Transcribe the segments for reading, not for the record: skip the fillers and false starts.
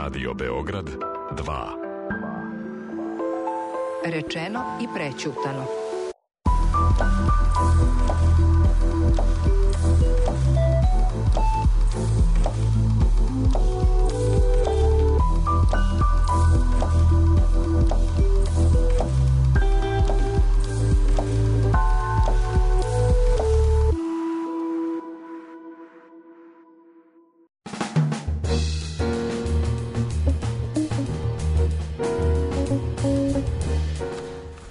Radio Beograd 2. Rečeno i prećutano.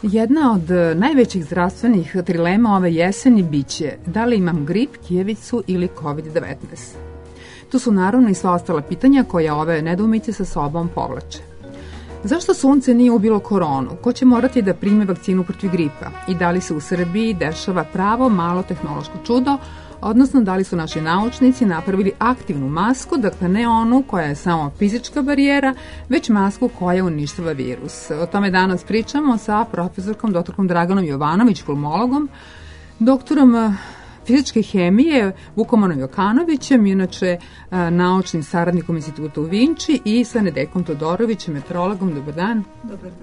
Jedna od najvećih zdravstvenih trilema ove jeseni biće da li imam grip, kijevicu ili COVID-19. Tu su naravno i sva ostala pitanja koja ove nedoumice sa sobom povlače. Zašto sunce nije ubilo koronu? Ko će morati da prime vakcinu protiv gripa? I da li se u Srbiji dešava pravo malo tehnološko čudo, odnosno da li su naši naučnici napravili aktivnu masku, dakle ne onu koja je samo fizička barijera, već masku koja uništava virus. O tome danas pričamo sa profesorkom dr. Draganom Jovanović, pulmologom, doktorom fizičke hemije Vukomanom Jokanovićem, inače naučnim saradnikom instituta u Vinči, i sa Nedeljkom Todorovićem, meteorologom. Dobar dan.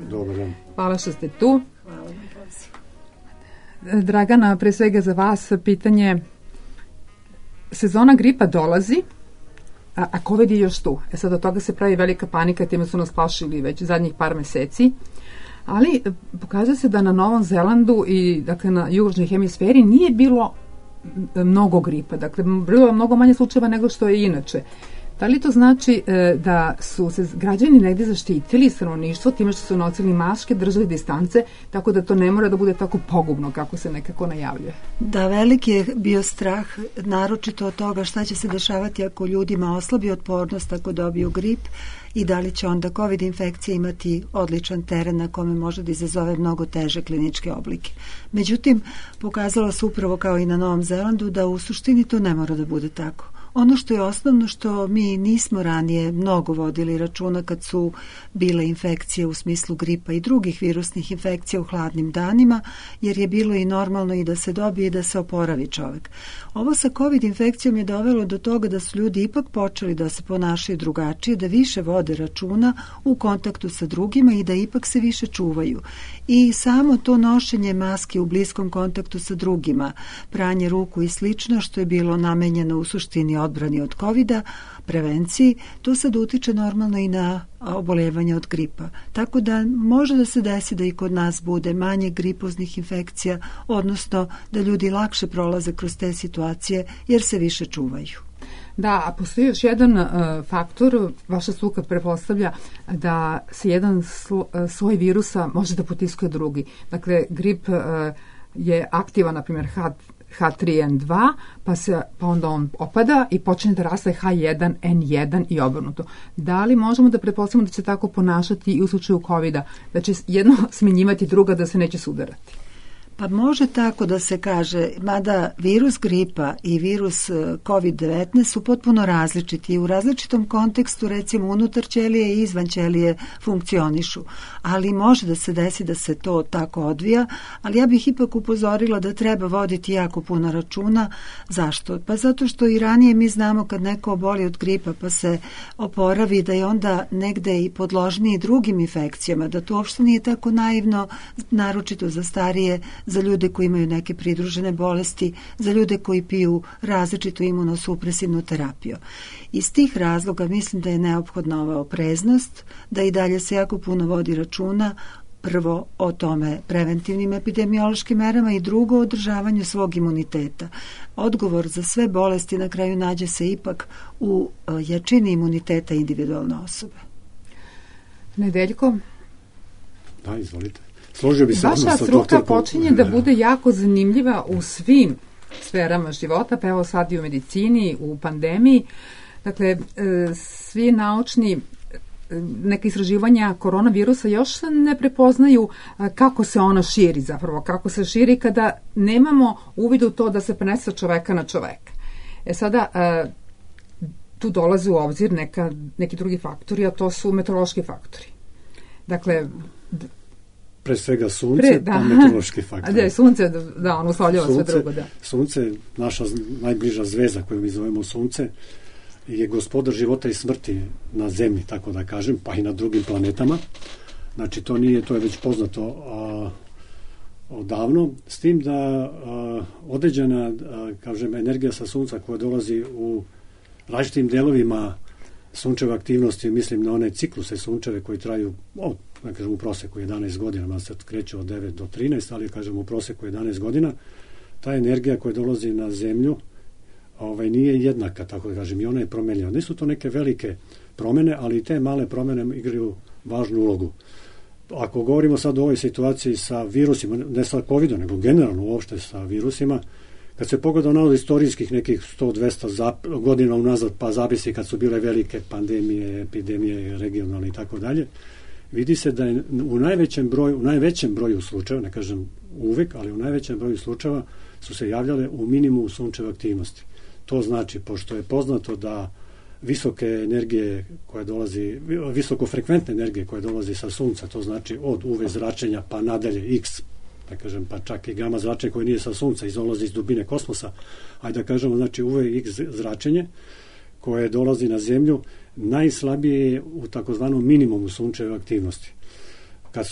Dobar dan. Hvala što ste tu. Hvala na pozivu. Dragana, pre svega za vas pitanje. Sezona gripa dolazi, a COVID je još tu. Sad od toga se pravi velika panika, time su nas plašili već zadnjih par meseci. Ali pokazuje se da na Novom Zelandu i dakle na južnoj hemisferi nije bilo mnogo gripa. Dakle, bilo mnogo manje slučajeva nego što je inače. Da li to znači da su se građani negdje zaštitili, stanovništvo, time što su nosili maske, držali distance, tako da to ne mora da bude tako pogubno kako se nekako najavljuje? Da, veliki je bio strah, naročito od toga šta će se dešavati ako ljudima oslabi otpornost ako dobiju grip i da li će onda COVID infekcija imati odličan teren na kome može da izazove mnogo teže kliničke oblike. Međutim, pokazalo se upravo kao i na Novom Zelandu da u suštini to ne mora da bude tako. Ono što je osnovno, što mi nismo ranije mnogo vodili računa kad su bile infekcije u smislu gripa i drugih virusnih infekcija u hladnim danima, jer je bilo i normalno i da se dobije i da se oporavi čovjek. Ovo sa COVID infekcijom je dovelo do toga da su ljudi ipak počeli da se ponašaju drugačije, da više vode računa u kontaktu sa drugima i da ipak se više čuvaju. I samo to nošenje maske u bliskom kontaktu sa drugima, pranje ruku i slično, što je bilo namenjeno u suštini odbrani od COVID-a, prevenciji, to sad utiče normalno i na oboljevanje od gripa. Tako da može da se desi da i kod nas bude manje gripoznih infekcija, odnosno da ljudi lakše prolaze kroz te situacije jer se više čuvaju. Da, a postoji još jedan faktor, vaša struka pretpostavlja da se jedan sloj virusa može da potiskuje drugi. Dakle, grip je aktivan, na primjer, H3N2, pa onda on opada i počne da raste H1N1 i obrnuto. Da li možemo da pretpostavimo da će tako ponašati i u slučaju COVID-a, da će jedno smenjivati druga, da se neće sudarati? Pa može tako da se kaže, mada virus gripa i virus COVID-19 su potpuno različiti i u različitom kontekstu, recimo unutar ćelije i izvan ćelije funkcionišu, ali može da se desi da se to tako odvija, ali ja bih ipak upozorila da treba voditi jako puno računa. Zašto? Pa zato što i ranije mi znamo kad neko oboli od gripa pa se oporavi da je onda negde i podložniji drugim infekcijama, da to uopšte nije tako naivno, naročito za starije, za ljude koji imaju neke pridružene bolesti, za ljude koji piju različitu imunosupresivnu terapiju. Iz tih razloga mislim da je neophodna ova opreznost, da i dalje se jako puno vodi računa, prvo o tome preventivnim epidemiološkim merama i drugo o održavanju svog imuniteta. Odgovor za sve bolesti na kraju nađe se ipak u jačini imuniteta individualne osobe. Nedeljko? Da, izvolite. Vaša struka počinje da bude jako zanimljiva u svim sferama života, pa evo sad i u medicini, u pandemiji. Dakle, svi naučni neka istraživanja koronavirusa još ne prepoznaju kako se ona širi zapravo, kako se širi kada nemamo uvid u to da se prenese sa čoveka na čoveka. Sada, tu dolaze u obzir neki drugi faktori, a to su meteorološki faktori. Dakle, pre svega sunce, pa meteorološki faktori. Da, sunce, da, ono uslovljava sve drugo, da. Sunce, naša najbliža zvezda koju mi zovemo sunce, je gospodar života i smrti na Zemlji, tako da kažem, pa i na drugim planetama. Znači, to je već poznato odavno, s tim da određena, kažem, energija sa Sunca koja dolazi u različitim delovima sunčeve aktivnosti, mislim na one cikluse sunčeve koji traju, da kažem, u proseku 11 godina, man se kreće od 9 do 13, ali kažem u proseku 11 godina, ta energija koja dolazi na Zemlju nije jednaka, tako da kažem, i ona je promenljiva. Nisu to neke velike promene, ali i te male promene igraju važnu ulogu. Ako govorimo sad o ovoj situaciji sa virusima, ne sa COVID-om, nego generalno uopšte sa virusima, kad se pogleda na istorijskih nekih 100-200 godina unazad, pa zavisi kad su bile velike pandemije, epidemije, regionalne i tako dalje, vidi se da je u najvećem broju slučajeva, ne kažem uvek, ali u najvećem broju slučajeva su se javljale u minimumu sunčeve aktivnosti. To znači, pošto je poznato da visoke energije koje dolazi, visokofrekventne energije koje dolazi sa Sunca, to znači od UV zračenja pa nadalje X, da kažem, pa čak i gama zračenje koje nije sa Sunca, dolazi iz dubine kosmosa, ajde da kažemo, znači UV X zračenje koje dolazi na Zemlju, najslabije je u takozvanom minimumu sunčeve aktivnosti. Kad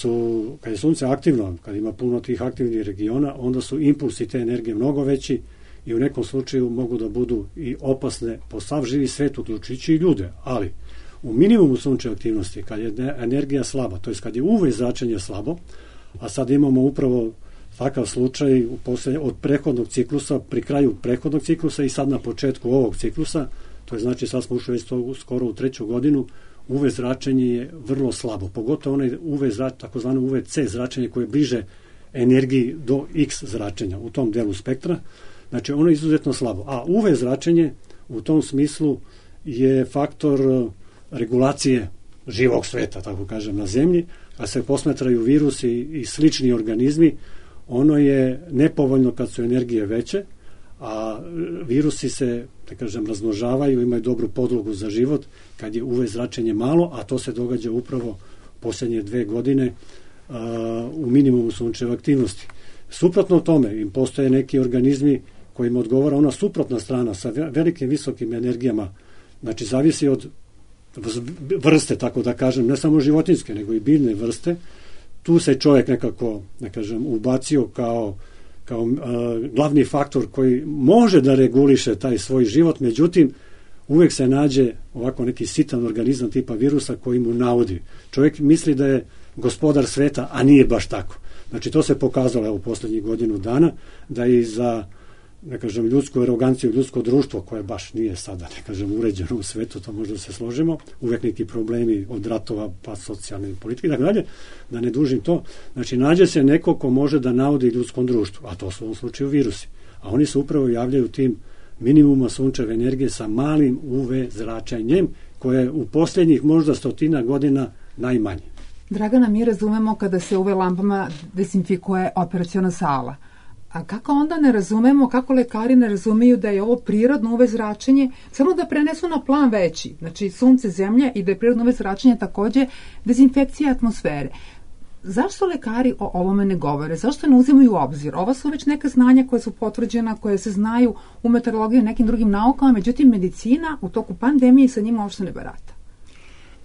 je Sunce aktivno, kad ima puno tih aktivnih regiona, onda su impulsi te energije mnogo veći i u nekom slučaju mogu da budu i opasne po sav živi svet, uključujući i ljude. Ali u minimumu sunčeve aktivnosti, kad je energija slaba, to je kad je UV zračenje slabo, a sad imamo upravo takav slučaj od prethodnog ciklusa, pri kraju prethodnog ciklusa i sad na početku ovog ciklusa, to je znači sad smo ušli već skoro u 3. godinu, UV zračenje je vrlo slabo, pogotovo onaj takozvano UVC zračenje koje je bliže energiji do X zračenja u tom delu spektra. Znači, ono je izuzetno slabo. A UV zračenje u tom smislu je faktor regulacije živog sveta, tako kažem, na Zemlji, a se posmatraju virusi i slični organizmi, ono je nepovoljno kad su energije veće, a virusi se, da kažem, razmnožavaju, imaju dobru podlogu za život kad je UV zračenje malo, a to se događa upravo posljednje 2 godine u minimumu sunčeve aktivnosti. Suprotno tome, im postoje neki organizmi kojima odgovara ona suprotna strana sa velikim visokim energijama, znači zavisi od vrste, tako da kažem, ne samo životinjske, nego i biljne vrste. Tu se čovjek nekako, da kažem, ubacio kao glavni faktor koji može da reguliše taj svoj život, međutim, uvek se nađe ovako neki sitan organizam tipa virusa koji mu naudi. Čovjek misli da je gospodar sveta, a nije baš tako. Znači, to se pokazalo u posljednjih godinu dana, da i za, da kažem, ljudsku aroganciju, ljudsko društvo, koje baš nije sada, da kažem, uređeno u svetu, to možda se složimo, uvek neki problemi od ratova, pa socijalne politike, tako dalje, da ne dužim to. Znači, nađe se neko ko može da naudi ljudskom društvu, a to su u ovom slučaju virusi. A oni se upravo javljaju tim minimuma sunčeve energije sa malim UV zračenjem, koje je u posljednjih možda 100 godina najmanje. Dragana, mi razumemo kada se UV lampama dezinfikuje operaciona sala. A kako onda ne razumemo, kako lekari ne razumeju da je ovo prirodno UV zračenje, samo da prenesu na plan veći, znači Sunce, Zemlja, i da je prirodno UV zračenje takođe dezinfekcija atmosfere. Zašto lekari o ovome ne govore? Zašto ne uzimaju u obzir? Ova su već neka znanja koja su potvrđena, koje se znaju u meteorologiji i nekim drugim naukama, međutim medicina u toku pandemije sa njima uopšte ne barata.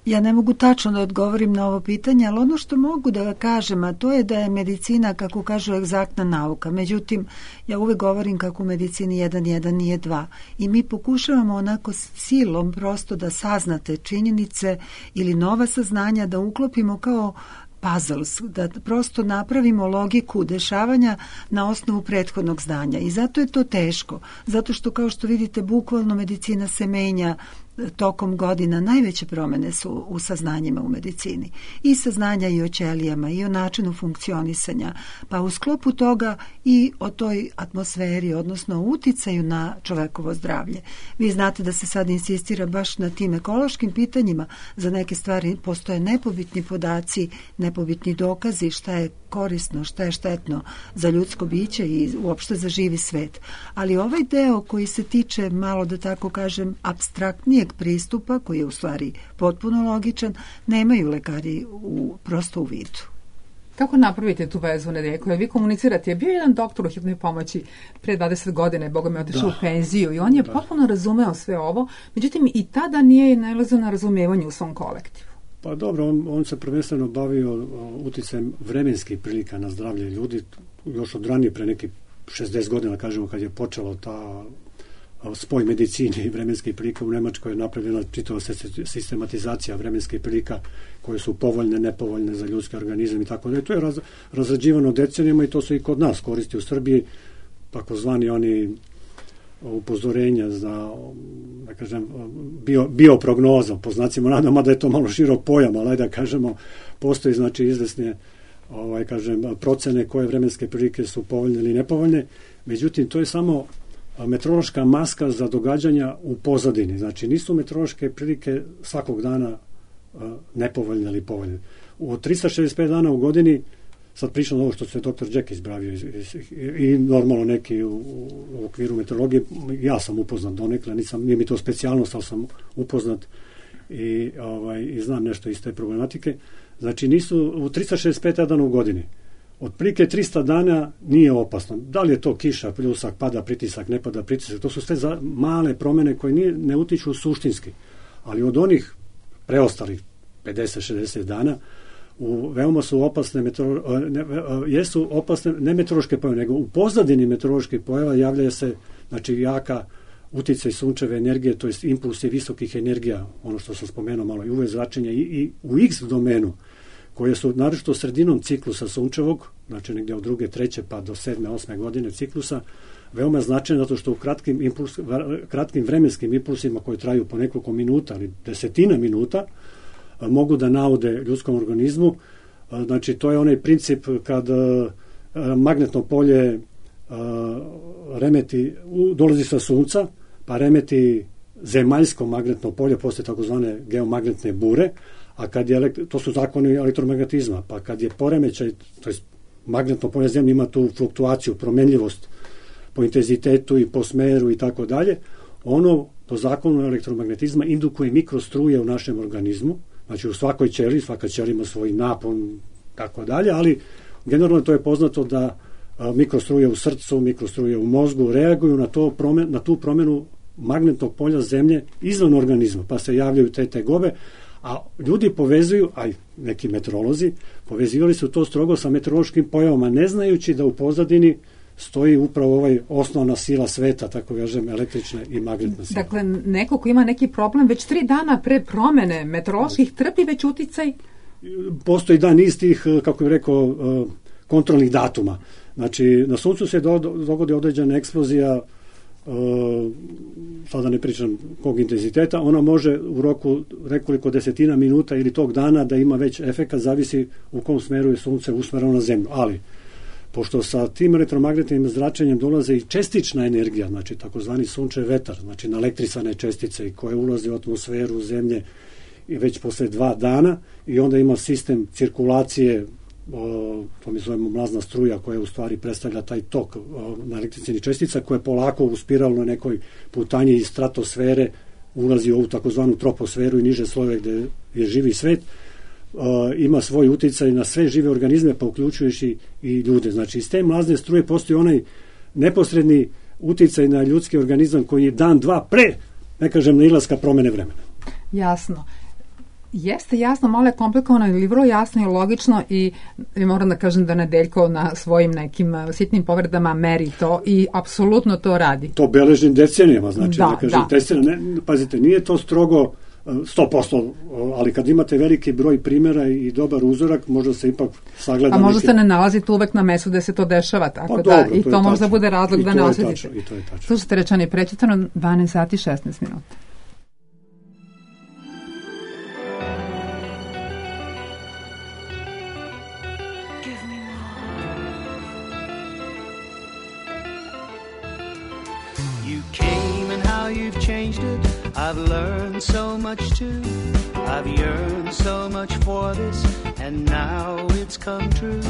Ja ne mogu tačno da odgovorim na ovo pitanje, ali ono što mogu da kažem, a to je da je medicina, kako kažu, egzaktna nauka. Međutim, ja uvek govorim kako u medicini 1 nije 2. I mi pokušavamo onako silom prosto da saznate činjenice ili nova saznanja da uklopimo kao puzzles, da prosto napravimo logiku dešavanja na osnovu prethodnog znanja. I zato je to teško. Zato što, kao što vidite, bukvalno medicina se menja tokom godina. Najveće promene su u saznanjima u medicini. I saznanja i o ćelijama, i o načinu funkcionisanja. Pa u sklopu toga i o toj atmosferi, odnosno uticaju na čovekovo zdravlje. Vi znate da se sad insistira baš na tim ekološkim pitanjima. Za neke stvari postoje nepobitni podaci, nepobitni dokazi šta je korisno, šta je štetno za ljudsko biće i uopšte za živi svet. Ali ovaj deo koji se tiče, malo da tako kažem, apstraktnijeg pristupa, koji je u stvari potpuno logičan, nemaju lekari prosto u vidu. Kako napravite tu vezu, Nedeljko? Jer vi komunicirate, je bio jedan doktor u hitnoj pomoći pre 20 godina, Boga mi otišao u penziju i on je potpuno razumeo sve ovo, međutim i tada nije nailazio na razumevanje u svom kolektivu. Pa dobro, on se prvenstveno bavio uticajem vremenskih prilika na zdravlje ljudi, još od ranije, pre nekih 60 godina, kažemo, kad je počelo ta spoj medicine i vremenskih prilika. U Nemačkoj je napravljena čitava sistematizacija vremenskih prilika koje su povoljne, nepovoljne za ljudski organizam i tako da. To je razrađivano decenijama i to se i kod nas koristi u Srbiji, takozvani oni upozorenja za, da kažem, bioprognoza, po znacima navoda, mada je to malo širok pojam, ali da kažemo, postoji znači izvesne procene koje vremenske prilike su povoljne ili nepovoljne. Međutim, to je samo meteorološka maska za događanja u pozadini. Znači, nisu meteorološke prilike svakog dana nepovoljne ili povoljne. Od 365 dana u godini, sad pričam ovo što se dr. Jack izbravio i normalno neki u okviru meteorologije, ja sam upoznat donekle, nije mi to specijalnost, ali sam upoznat i znam nešto iz te problematike. Znači, nisu u 365 dana u godini. Otprilike 300 dana nije opasno. Da li je to kiša, pljusak, pada pritisak, ne pada pritisak, to su sve male promene koje ne utiču suštinski. Ali od onih preostalih 50-60 dana veoma su opasne jesu opasne ne meteorološke pojave, nego u pozadini meteoroloških pojava javlja se znači jaka uticaj sunčeve energije, to jest impulsi visokih energija, ono što sam spomenuo malo, i UV zračenja i u X domenu, koje su naročito sredinom ciklusa sunčevog, znači negdje od 2., 3. pa do 7., 8. godine ciklusa, veoma značajno zato što u kratkim vremenskim impulsima koji traju po nekoliko minuta ili desetina minuta mogu da naude ljudskom organizmu. Znači, to je onaj princip kad magnetno polje dolazi sa sunca, pa remeti zemaljsko magnetno polje, postoje takozvane geomagnetne bure, a kad je to su zakoni elektromagnetizma, pa kad je poremećaj, to je magnetno polje zemlje ima tu fluktuaciju, promenljivost po intenzitetu i po smeru i tako dalje, ono po zakonu elektromagnetizma indukuje mikrostruje u našem organizmu, znači u svakoj ćeliji, svaka ćelija ima svoj napon, tako dalje, ali generalno to je poznato da mikrostruje u srcu, mikrostruje u mozgu reaguju na tu promenu magnetnog polja zemlje izvan organizma, pa se javljaju te tegobe, a ljudi povezuju, a i neki meteorolozi, povezivali su to strogo sa meteorološkim pojavama, ne znajući da u pozadini stoji upravo ovaj osnovna sila sveta, tako kažem, električna i magnetna sila. Dakle, neko ko ima neki problem već 3 dana pre promene meteoroloških trpi već uticaj? Postoji niz tih, kako bih rekao, kontrolnih datuma. Znači, na suncu se dogodi određena eksplozija, sada ne pričam kog intenziteta, ona može u roku nekoliko desetina minuta ili tog dana da ima već efekat, zavisi u kom smeru je sunce usmereno na zemlju. Ali, pošto sa tim elektromagnetnim zračenjem dolaze i čestična energija, znači takozvani sunčev vetar, znači naelektrisane čestice i koje ulaze u atmosferu zemlje i već posle 2 dana i onda ima sistem cirkulacije, to mi zovemo mlazna struja koja u stvari predstavlja taj tok naelektričnih čestica koja polako u spiralnoj nekoj putanji iz stratosfere ulazi u ovu takozvanu troposferu i niže slojeve gde je živi svet, ima svoj uticaj na sve žive organizme, pa uključujući i ljude. Znači, iz te mlazne struje postoji onaj neposredni uticaj na ljudski organizam koji je dan, dva pre, ne kažem, nailaska promene vremena. Jasno. Jeste jasno, malo je komplikovano ili vrlo jasno i logično i moram da kažem da Nedeljko na svojim nekim sitnim povredama meri to i apsolutno to radi. To beležim decenijama, znači da kažem, pazite, nije to strogo 100%, ali kad imate veliki broj primjera i dobar uzorak, možda se ipak sagleda. A možda se ne nalazite uvek na mestu gde se to dešava, tako pa, da, dobro, i to možda bude razlog da ne osjetite. I to je tačno. Slušajte, Rečani, prečitano 12 sati 16 minuta. You've changed it, I've learned so much too. I've yearned so much for this, and now it's come true.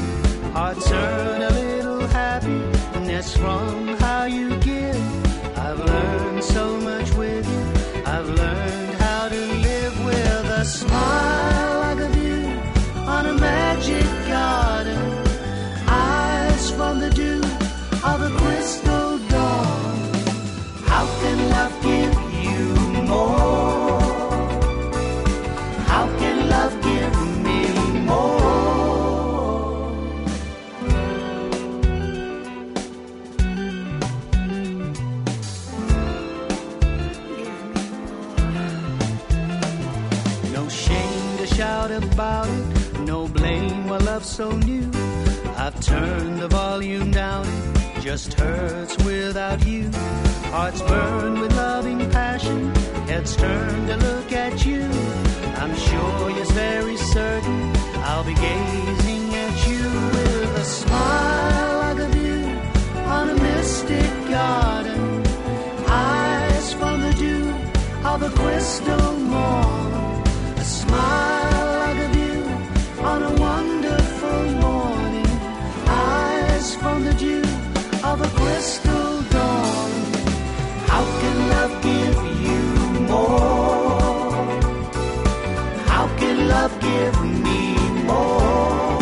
Hearts turn a little happiness from how you give. I've learned so much with you. I've learned how to live with a smile like a view on a magic garden love so new. I've turned the volume down, it just hurts without you. Hearts burn with loving passion, heads turn to look at you. I'm sure, yes, very certain, I'll be gazing at you with a smile like a view on a mystic garden. Eyes from the dew of a crystal morn. A smile like a view on a wonderful morning. Eyes from the dew of a crystal dawn. How can love give you more? How can love give me more?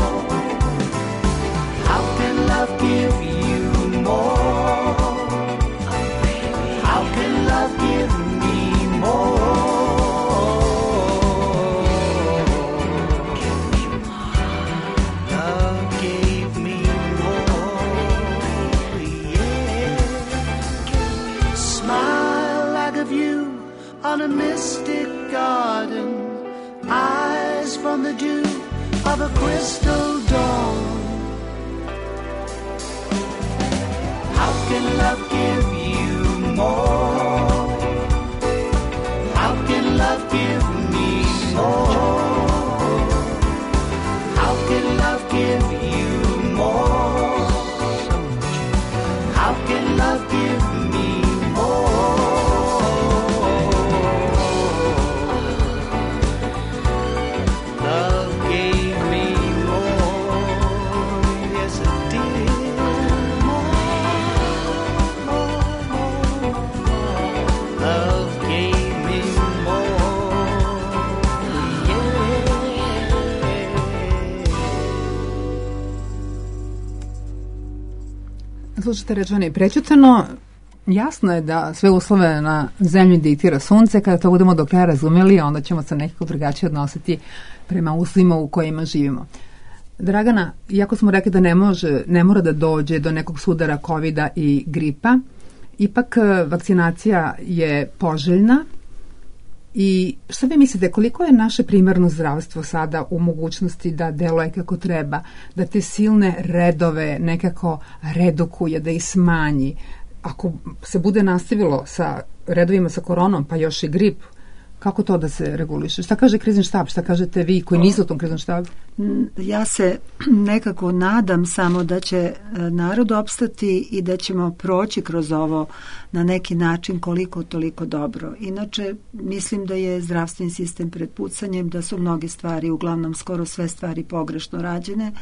How can love give you more? How can love give me more? Love gave me more, yeah. Smile like a view on a mystic garden. Eyes from the dew of a crystal dawn. How can love give you more? How can love give me more? How can love give you more? How can love give me more? Love gave me more, yes it did. Love gave me more, yeah. Slušajte, rečeno i prećutano. Jasno je da sve uslove na zemlji diktira sunce. Kada to budemo do kraja razumeli, onda ćemo se nekako drugačije odnositi prema uslovima u kojima živimo. Dragana, iako smo rekli da ne mora da dođe do nekog sudara covida i gripa, ipak vakcinacija je poželjna. I šta vi mislite, koliko je naše primarno zdravstvo sada u mogućnosti da deluje kako treba, da te silne redove nekako redukuje, da ih smanji? Ako se bude nastavilo sa redovima sa koronom, pa još i grip, kako to da se reguliše? Šta kaže krizni štab? Šta kažete vi koji niste u tom kriznom štabu? Ja se nekako nadam samo da će narod opstati i da ćemo proći kroz ovo na neki način koliko toliko dobro. Inače, mislim da je zdravstveni sistem pred pucanjem, da su mnoge stvari, uglavnom skoro sve stvari pogrešno rađene,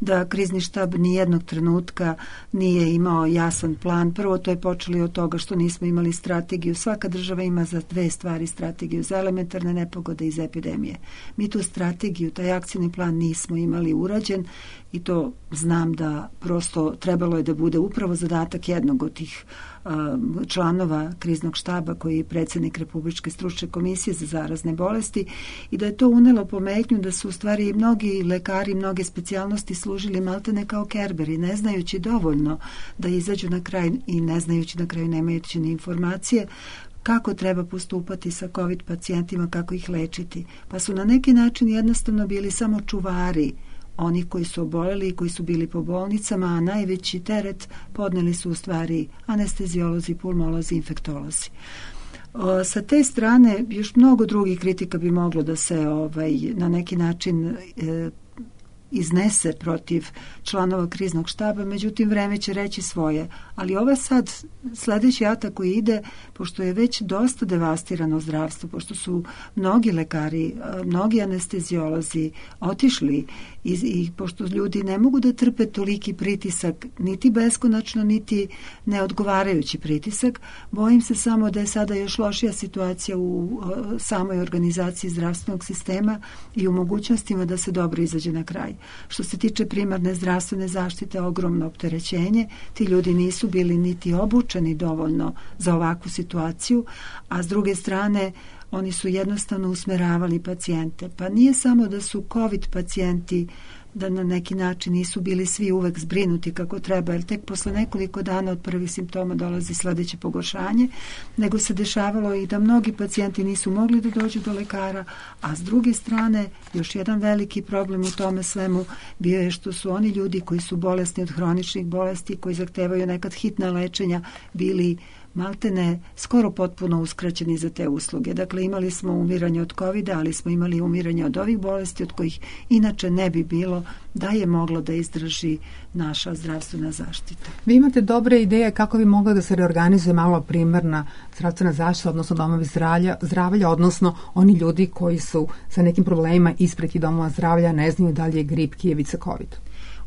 da krizni štab nijednog trenutka nije imao jasan plan. Prvo, to je počelo od toga što nismo imali strategiju. Svaka država ima za dve stvari strategiju, za elementarne nepogode i za epidemije. Mi tu strategiju, taj akcijni plan nismo imali urađen i to znam da prosto trebalo je da bude upravo zadatak jednog od tih članova kriznog štaba koji je predsjednik Republičke stručne komisije za zarazne bolesti i da je to unelo pometnju da su u stvari mnogi lekari, mnoge specijalnosti služili maltene kao kerberi, ne znajući dovoljno da izađu na kraj i ne znajući na kraju nemajući ni informacije kako treba postupati sa COVID pacijentima, kako ih lečiti. Pa su na neki način jednostavno bili samo čuvari oni koji su oboleli i koji su bili po bolnicama, a najveći teret podneli su u stvari anesteziolozi, pulmolozi, infektolozi. Sa te strane još mnogo drugih kritika bi moglo da se na neki način iznese protiv članova kriznog štaba, međutim vreme će reći svoje. Ali ova sad sledeći atak koji ide, pošto je već dosta devastirano zdravstvo, pošto su mnogi lekari, mnogi anesteziolozi otišli i pošto ljudi ne mogu da trpe toliki pritisak, niti beskonačno, niti neodgovarajući pritisak, bojim se samo da je sada još lošija situacija u samoj organizaciji zdravstvenog sistema i u mogućnostima da se dobro izađe na kraj. Što se tiče primarne zdravstvene zaštite, ogromno opterećenje, ti ljudi nisu bili niti obučeni dovoljno za ovakvu situaciju, a s druge strane oni su jednostavno usmeravali pacijente. Pa nije samo da su COVID pacijenti da na neki način nisu bili svi uvek zbrinuti kako treba, jer tek posle nekoliko dana od prvih simptoma dolazi sledeće pogoršanje, nego se dešavalo i da mnogi pacijenti nisu mogli da dođu do lekara, a s druge strane još jedan veliki problem u tome svemu bio je što su oni ljudi koji su bolesni od hroničnih bolesti, koji zahtevaju nekad hitna lečenja, bili maltene skoro potpuno uskraćeni za te usluge. Dakle, imali smo umiranje od COVID-a, ali smo imali umiranje od ovih bolesti od kojih inače ne bi bilo da je moglo da izdrži naša zdravstvena zaštita. Vi imate dobre ideje kako bi mogla da se reorganizuje malo primarna zdravstvena zaštita, odnosno domovi zdravlja, odnosno oni ljudi koji su sa nekim problemima ispred tih domova zdravlja, ne znaju da li je grip, kijevica, COVID.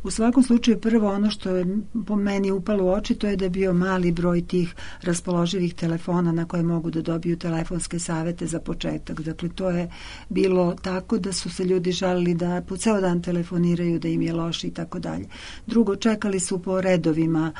U svakom slučaju prvo ono što je po meni upalo u oči, to je da je bio mali broj tih raspoloživih telefona na koje mogu da dobiju telefonske savete za početak. Dakle, to je bilo tako da su se ljudi žalili da po ceo dan telefoniraju, da im je loše i tako dalje. Drugo, čekali su po redovima,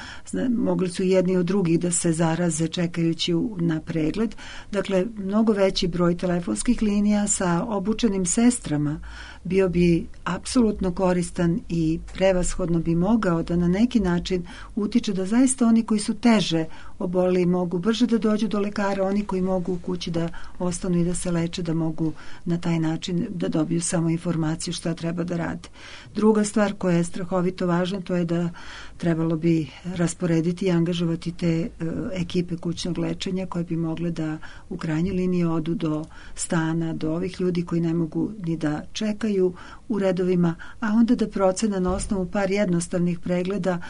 mogli su jedni od drugih da se zaraze čekajući na pregled. Dakle, mnogo veći broj telefonskih linija sa obučenim sestrama bio bi apsolutno koristan i prevashodno bi mogao da na neki način utiče da zaista oni koji su teže oboleli mogu brže da dođu do lekara, oni koji mogu u kući da ostanu i da se leče, da mogu na taj način da dobiju samo informaciju šta treba da rade. Druga stvar koja je strahovito važna, to je da trebalo bi rasporediti i angažovati te ekipe kućnog lečenja koje bi mogle da u krajnjoj liniji odu do stana, do ovih ljudi koji ne mogu ni da čekaju u redovima, a onda da procena na osnovu par jednostavnih pregleda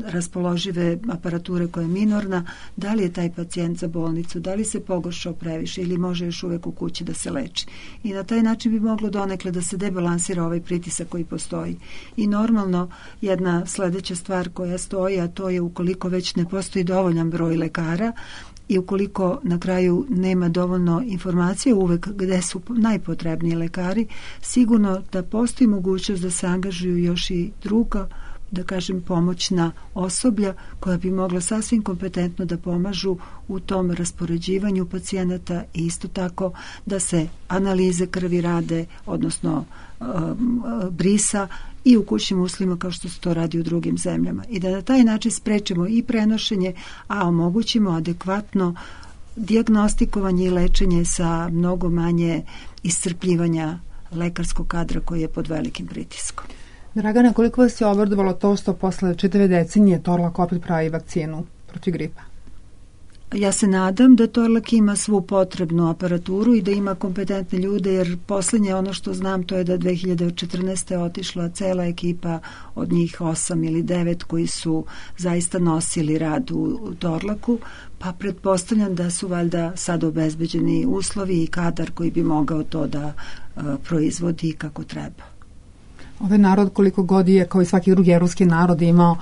raspoložive aparature koja je minorna, da li je taj pacijent za bolnicu, da li se pogoršao previše ili može još uvek u kući da se leči. I na taj način bi moglo donekle da se debalansira ovaj pritisak koji postoji. I normalno jedna sledeća stvar koja stoji, a to je ukoliko već ne postoji dovoljan broj lekara i ukoliko na kraju nema dovoljno informacije uvek gde su najpotrebniji lekari, sigurno da postoji mogućnost da se angažuju još i druga, da kažem, pomoćna osoblja koja bi mogla sasvim kompetentno da pomažu u tom raspoređivanju pacijenata i isto tako da se analize krvi rade, odnosno brisa i u kućnim uslovima kao što se to radi u drugim zemljama. I da na taj način sprečimo i prenošenje, a omogućimo adekvatno dijagnostikovanje i lečenje sa mnogo manje iscrpljivanja lekarskog kadra koji je pod velikim pritiskom. Dragana, koliko vas je obradovalo to što posle čitave decenije Torlak opet pravi vakcinu protiv gripa? Ja se nadam da Torlak ima svu potrebnu aparaturu i da ima kompetentne ljude, jer poslednje ono što znam to je da 2014. otišla cela ekipa od njih 8 ili 9 koji su zaista nosili rad u Torlaku, pa pretpostavljam da su valjda sad obezbeđeni uslovi i kadar koji bi mogao to da proizvodi kako treba. Ovaj narod koliko god je, kao i svaki drugi evropski narod, imao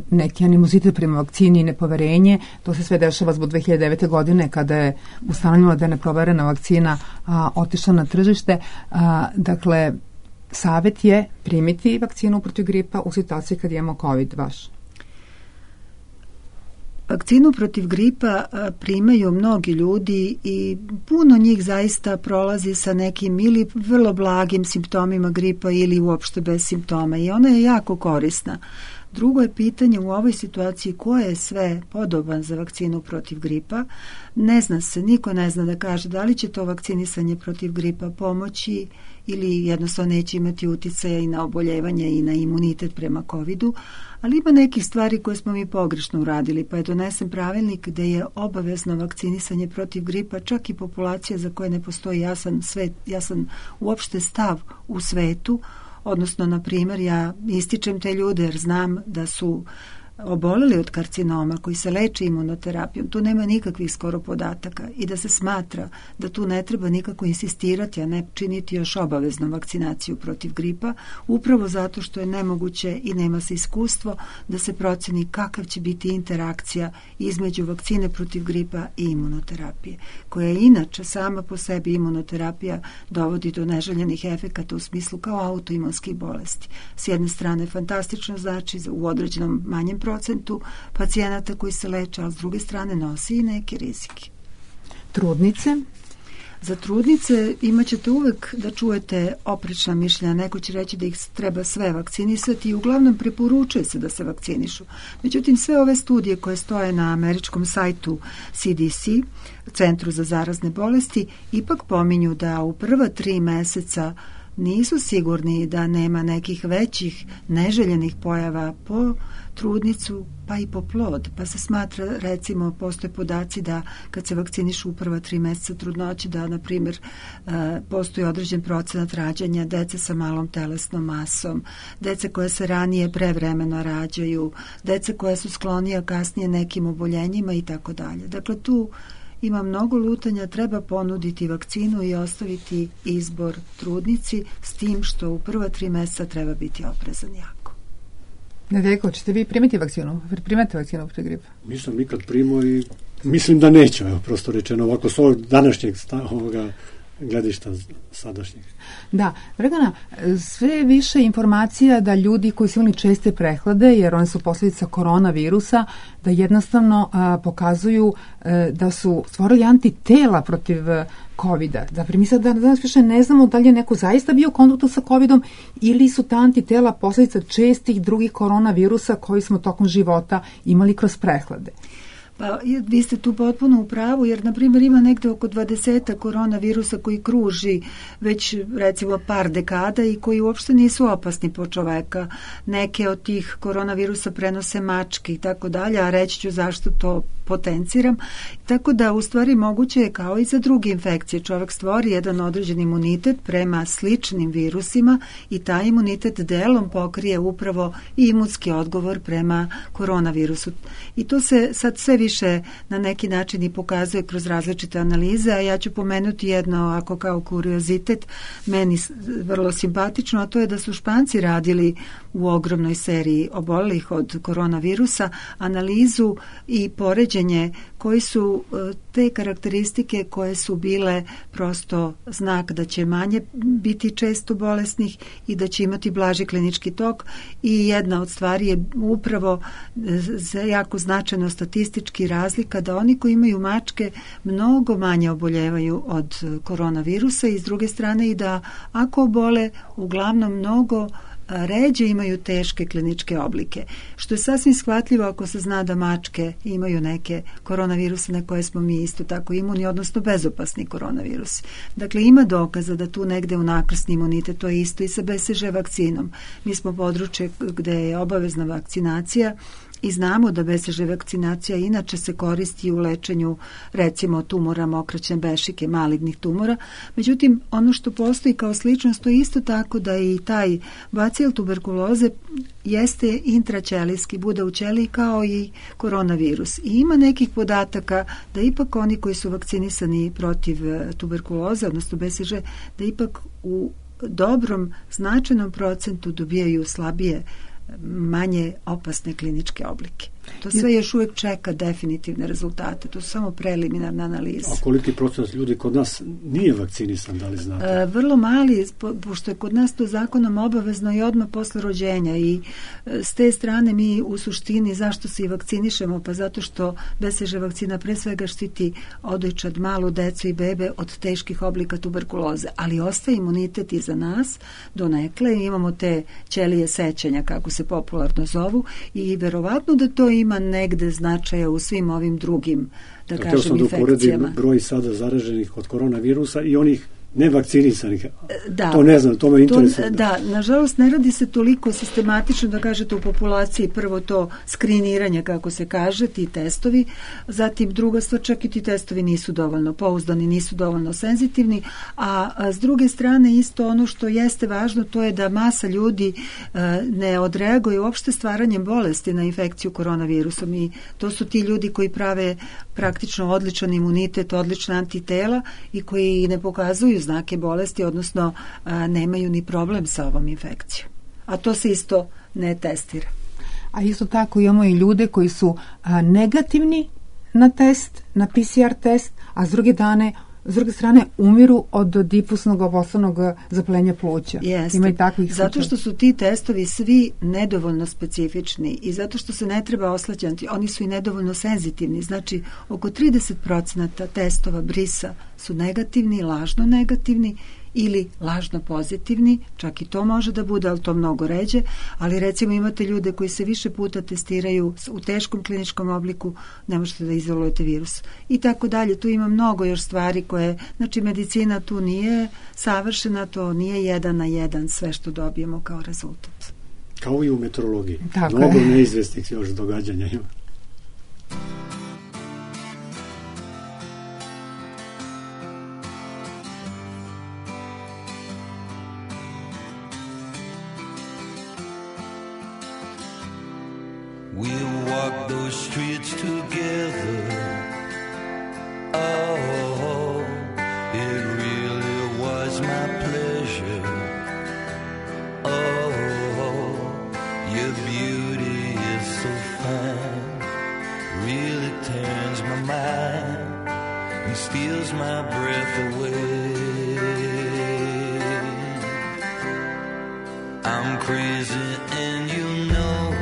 neki animozitet prema vakcini i nepoverenje. To se sve dešava zbog 2009. godine kada je ustanovljeno da je neproverena vakcina otišla na tržište. Dakle, savjet je primiti vakcinu protiv gripa u situaciji kad imamo COVID vaš. Vakcinu protiv gripa primaju mnogi ljudi i puno njih zaista prolazi sa nekim ili vrlo blagim simptomima gripa ili uopšte bez simptoma i ona je jako korisna. Drugo je pitanje u ovoj situaciji ko je sve podoban za vakcinu protiv gripa. Ne zna se, niko ne zna da kaže da li će to vakcinisanje protiv gripa pomoći ili jednostavno neće imati uticaja i na oboljevanje i na imunitet prema COVID-u, ali ima nekih stvari koje smo mi pogrešno uradili, pa je donesen pravilnik gde je obavezno vakcinisanje protiv gripa, čak i populacija za koje ne postoji jasan uopšte stav u svetu, odnosno, na primjer, ja ističem te ljude jer znam da su oboleli od karcinoma koji se leče imunoterapijom, tu nema nikakvih skoro podataka i da se smatra da tu ne treba nikako insistirati, a ne činiti još obavezno vakcinaciju protiv gripa, upravo zato što je nemoguće i nema se iskustvo da se proceni kakav će biti interakcija između vakcine protiv gripa i imunoterapije, koja je inače sama po sebi imunoterapija dovodi do neželjenih efekata u smislu kao autoimunskih bolesti. S jedne strane fantastično znači u određenom manjem procentu pacijenata koji se leče, a s druge strane nosi i neke rizike. Trudnice? Za trudnice imat ćete uvek da čujete oprečna mišljenja. Neko će reći da ih treba sve vakcinisati i uglavnom preporučuje se da se vakcinišu. Međutim, sve ove studije koje stoje na američkom sajtu CDC, Centru za zarazne bolesti, ipak pominju da u prva 3 meseca nisu sigurni da nema nekih većih neželjenih pojava po trudnicu pa i po plod. Pa se smatra, recimo, postoje podaci da kad se vakcinišu u prva 3 meseca trudnoće, da, na primjer, postoji određen procenat rađanja dece sa malom telesnom masom, dece koje se ranije prevremeno rađaju, dece koje su sklonija kasnije nekim oboljenjima i tako dalje. Dakle, tu ima mnogo lutanja, treba ponuditi vakcinu i ostaviti izbor trudnici, s tim što u prva 3 meseca treba biti oprezan jako. Nedeljko, ćete vi primiti vakcinu? Primate vakcinu protiv gripa? Nisam nikad primao i mislim da neću, evo, prosto rečeno, ovako s ovog današnjeg gledišta sadašnjih. Da, Dragana, sve više informacija da ljudi koji su imali česte prehlade, jer one su posljedica koronavirusa, da jednostavno pokazuju da su stvorili antitela protiv COVID-a. Dakle, mi sad danas više ne znamo da li je neko zaista bio u kontaktu sa COVID-om ili su ta antitela posljedica čestih drugih koronavirusa koji smo tokom života imali kroz prehlade. Pa vi ste tu potpuno u pravu, jer na primjer ima negde oko 20 koronavirusa koji kruži već recimo par dekada i koji uopšte nisu opasni po čoveka. Neke od tih koronavirusa prenose mačke i tako dalje, a reći ću zašto to potenciram. Tako da u stvari moguće je kao i za druge infekcije. Čovjek stvori jedan određen imunitet prema sličnim virusima i taj imunitet delom pokrije upravo i imunski odgovor prema koronavirusu. I to se sad sve više na neki način i pokazuje kroz različite analize, a ja ću pomenuti jedno ako kao kuriozitet, meni vrlo simpatično, a to je da su Španci radili u ogromnoj seriji obolelih od koronavirusa analizu i poređenje koji su te karakteristike koje su bile prosto znak da će manje biti često bolesnih i da će imati blaži klinički tok, i jedna od stvari je upravo jako značajno statistički razlika da oni koji imaju mačke mnogo manje oboljevaju od koronavirusa i s druge strane i da ako obole uglavnom mnogo ređe imaju teške kliničke oblike, što je sasvim shvatljivo ako se zna da mačke imaju neke koronaviruse na koje smo mi isto tako imuni, odnosno bezopasni koronavirus. Dakle, ima dokaza da tu negde unakrsni imunitet, to je isto i sa BCG vakcinom. Mi smo područje gde je obavezna vakcinacija i znamo da BCG vakcinacija inače se koristi u lečenju recimo tumora mokraćne bešike, malignih tumora. Međutim, ono što postoji kao sličnost, to je isto tako da i taj bacil tuberkuloze jeste intraćelijski, bude u ćeliji kao i koronavirus. I ima nekih podataka da ipak oni koji su vakcinisani protiv tuberkuloze, odnosno BCG, da ipak u dobrom, značajnom procentu dobijaju slabije, manje opasne kliničke oblike. To sve još uvijek čeka definitivne rezultate. To su samo preliminarna analiza. A koliki procenat ljudi kod nas nije vakcinisan, da li znate? Vrlo mali, pošto je kod nas to zakonom obavezno i odmah posle rođenja, i s te strane mi u suštini zašto se i vakcinišemo? Pa zato što BCG vakcina pre svega štiti odojčad, malu decu i bebe od teških oblika tuberkuloze, ali ostaje imunitet i za nas donekle. Imamo te ćelije sećanja, kako se popularno zovu, i verovatno da to ima negde značaja u svim ovim drugim, da kažem, infekcijama. Da uporedim broj sada zaraženih od koronavirusa i onih nevakcinisanih. Da, to ne znam, to me interesuje. Da, nažalost ne radi se toliko sistematično, da kažete, u populaciji. Prvo to skriniranje, kako se kaže, ti testovi, zatim druga stvar, čak i ti testovi nisu dovoljno pouzdani, nisu dovoljno senzitivni, a s druge strane isto ono što jeste važno, to je da masa ljudi ne odreaguje uopšte stvaranjem bolesti na infekciju koronavirusom, i to su ti ljudi koji prave praktično odličan imunitet, odlična antitela i koji ne pokazuju znake bolesti, odnosno nemaju ni problem sa ovom infekcijom. A to se isto ne testira. A isto tako imamo i ljude koji su negativni na test, na PCR test, a s druge S druge strane, umiru od difusnog obostranog zapaljenja pluća. Jeste. Ima i takvih zato što su ti testovi svi nedovoljno specifični i zato što se ne treba oslanjati, oni su i nedovoljno senzitivni. Znači, oko 30% testova brisa su negativni, lažno negativni ili lažno pozitivni, čak i to može da bude, ali to mnogo ređe, ali recimo imate ljude koji se više puta testiraju u teškom kliničkom obliku, ne možete da izolujete virus i tako dalje. Tu ima mnogo još stvari koje, znači medicina tu nije savršena, to nije 1 na 1 sve što dobijemo kao rezultat. Kao i u meteorologiji. Tako mnogo je. neizvesnih još događanja ima. We'll walk those streets together. Oh, it really was my pleasure. Oh, your beauty is so fine, really turns my mind and steals my breath away. I'm crazy and you know it.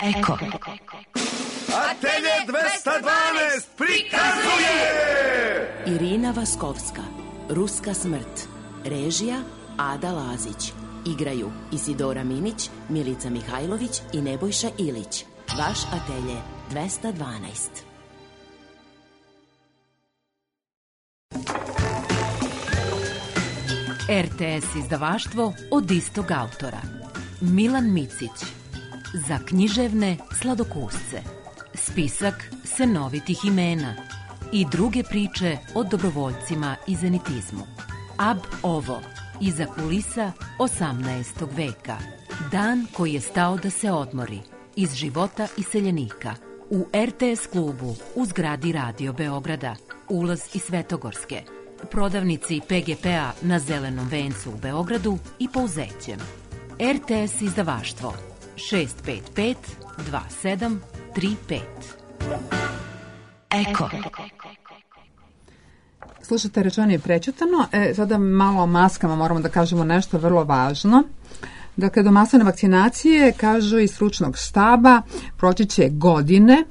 Eko. Atelje 212 prikazuje Irina Vaskovska, Ruska smrt. Režija Ada Lazić. Igraju Isidora Minić, Milica Mihajlović i Nebojša Ilić. Vaš atelje 212. RTS izdavaštvo od istog autora. Milan Micić. Za književne sladokusce. Spisak senovitih imena i druge priče o dobrovoljcima i zenitizmu. Ab ovo, iza kulisa 18. veka. Dan koji je stao da se odmori. Iz života iseljenika. U RTS klubu u zgradi Radio Beograda. Ulaz iz Svetogorske. Prodavnici PGP-a na Zelenom vencu u Beogradu i Pouzećem. RTS izdavaštvo 655 2735. Eko. Slušajte, rečeno je prećutano. Sada malo o maskama moramo da kažemo nešto vrlo važno. Dakle, do masovne vakcinacije, kažu iz stručnog štaba, proći će godine.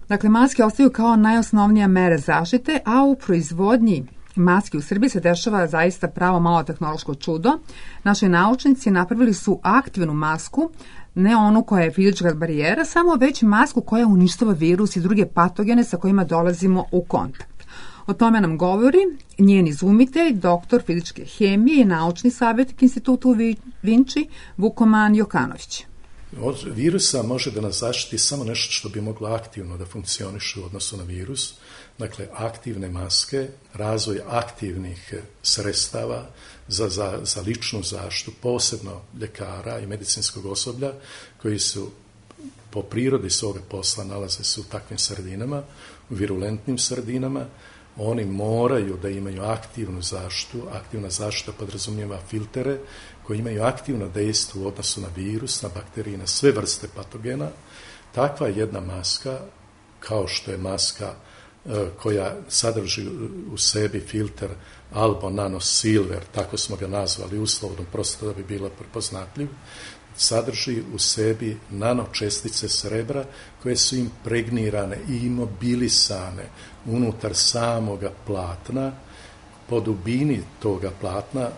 Dakle, maske ostaju kao najosnovnija mere zaštite, a u proizvodnji maske u Srbiji se dešava zaista pravo malo tehnološko čudo. Naši naučnici napravili su aktivnu masku, ne onu koja je fizička barijera, samo već masku koja uništava virus i druge patogene sa kojima dolazimo u kontakt. O tome nam govori njen izumitelj, doktor fizičke hemije i naučni savjetnik Instituta u Vinči, Vukoman Jokanović. Od virusa može da nas zaštiti samo nešto što bi moglo aktivno da funkcioniše u odnosu na virus, dakle aktivne maske, razvoj aktivnih sredstava za ličnu zaštitu, posebno ljekara i medicinskog osoblja koji su po prirodi svoga posla nalaze se u takvim sredinama, u virulentnim sredinama. Oni moraju da imaju aktivnu zaštitu. Aktivna zaštita podrazumijeva filtere koji imaju aktivno dejstvo u odnosu na virus, na bakterije, na sve vrste patogena. Takva jedna maska kao što je maska koja sadrži u sebi filter Albo Nano Silver, tako smo ga nazvali uslovno, prosto da bi bilo prepoznatljiv, sadrži u sebi nanočestice srebra koje su impregnirane i imobilisane unutar samoga platna. Po dubini toga platna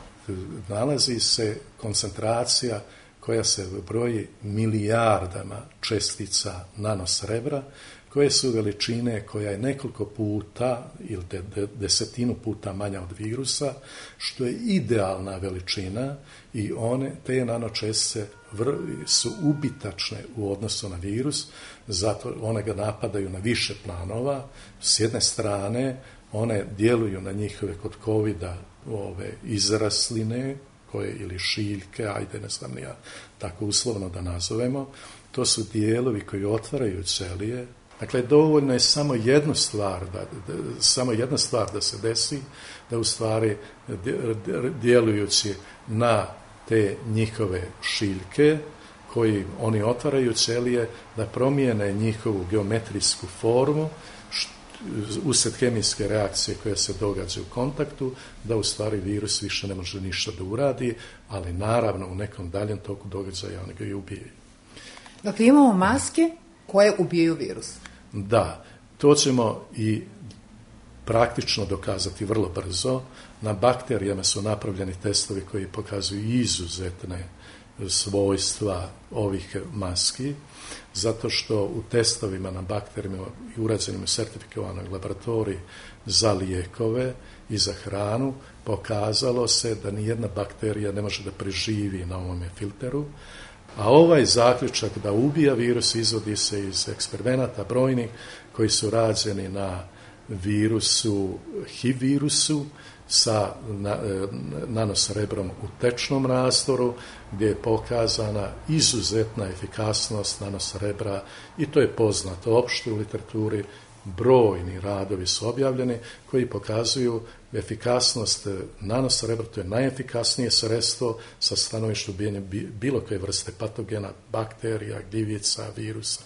nalazi se koncentracija koja se broji milijardama čestica nanosrebra, koje su veličine koja je nekoliko puta ili desetinu puta manja od virusa, što je idealna veličina i te nanočestice su ubitačne u odnosu na virus, zato one ga napadaju na više planova. S jedne strane, one djeluju na njihove kod covida izrasline, ili šiljke, ajde ne znam ja tako uslovno da nazovemo, to su dijelovi koji otvaraju ćelije. Dakle, dovoljno je samo jedna stvar da se desi, da u stvari djelujući na te njihove šiljke, koji oni otvaraju ćelije, da promijene njihovu geometrijsku formu, usred kemijske reakcije koja se događa u kontaktu, da u stvari virus više ne može ništa da uradi, ali naravno u nekom daljem toku događaja oni ga i ubijaju. Dakle, imamo maske koje ubijaju virus. Da, to ćemo i praktično dokazati vrlo brzo. Na bakterijama su napravljeni testovi koji pokazuju izuzetne svojstva ovih maski, zato što u testovima na bakterijama i urađenim u sertifikovanoj laboratoriji za lijekove i za hranu pokazalo se da nijedna bakterija ne može da preživi na ovome filteru, a ovaj zaključak da ubija virus izvodi se iz eksperimenata brojnih koji su rađeni na virusu, HIV virusu, sa nanosrebrom u tečnom rastoru, gdje je pokazana izuzetna efikasnost nanosrebra i to je poznato opšte u literaturi. Brojni radovi su objavljeni koji pokazuju efikasnost nanosrebra, to je najefikasnije sredstvo sa stanovišta ubijanja bilo koje vrste patogena, bakterija, gljivica, virusa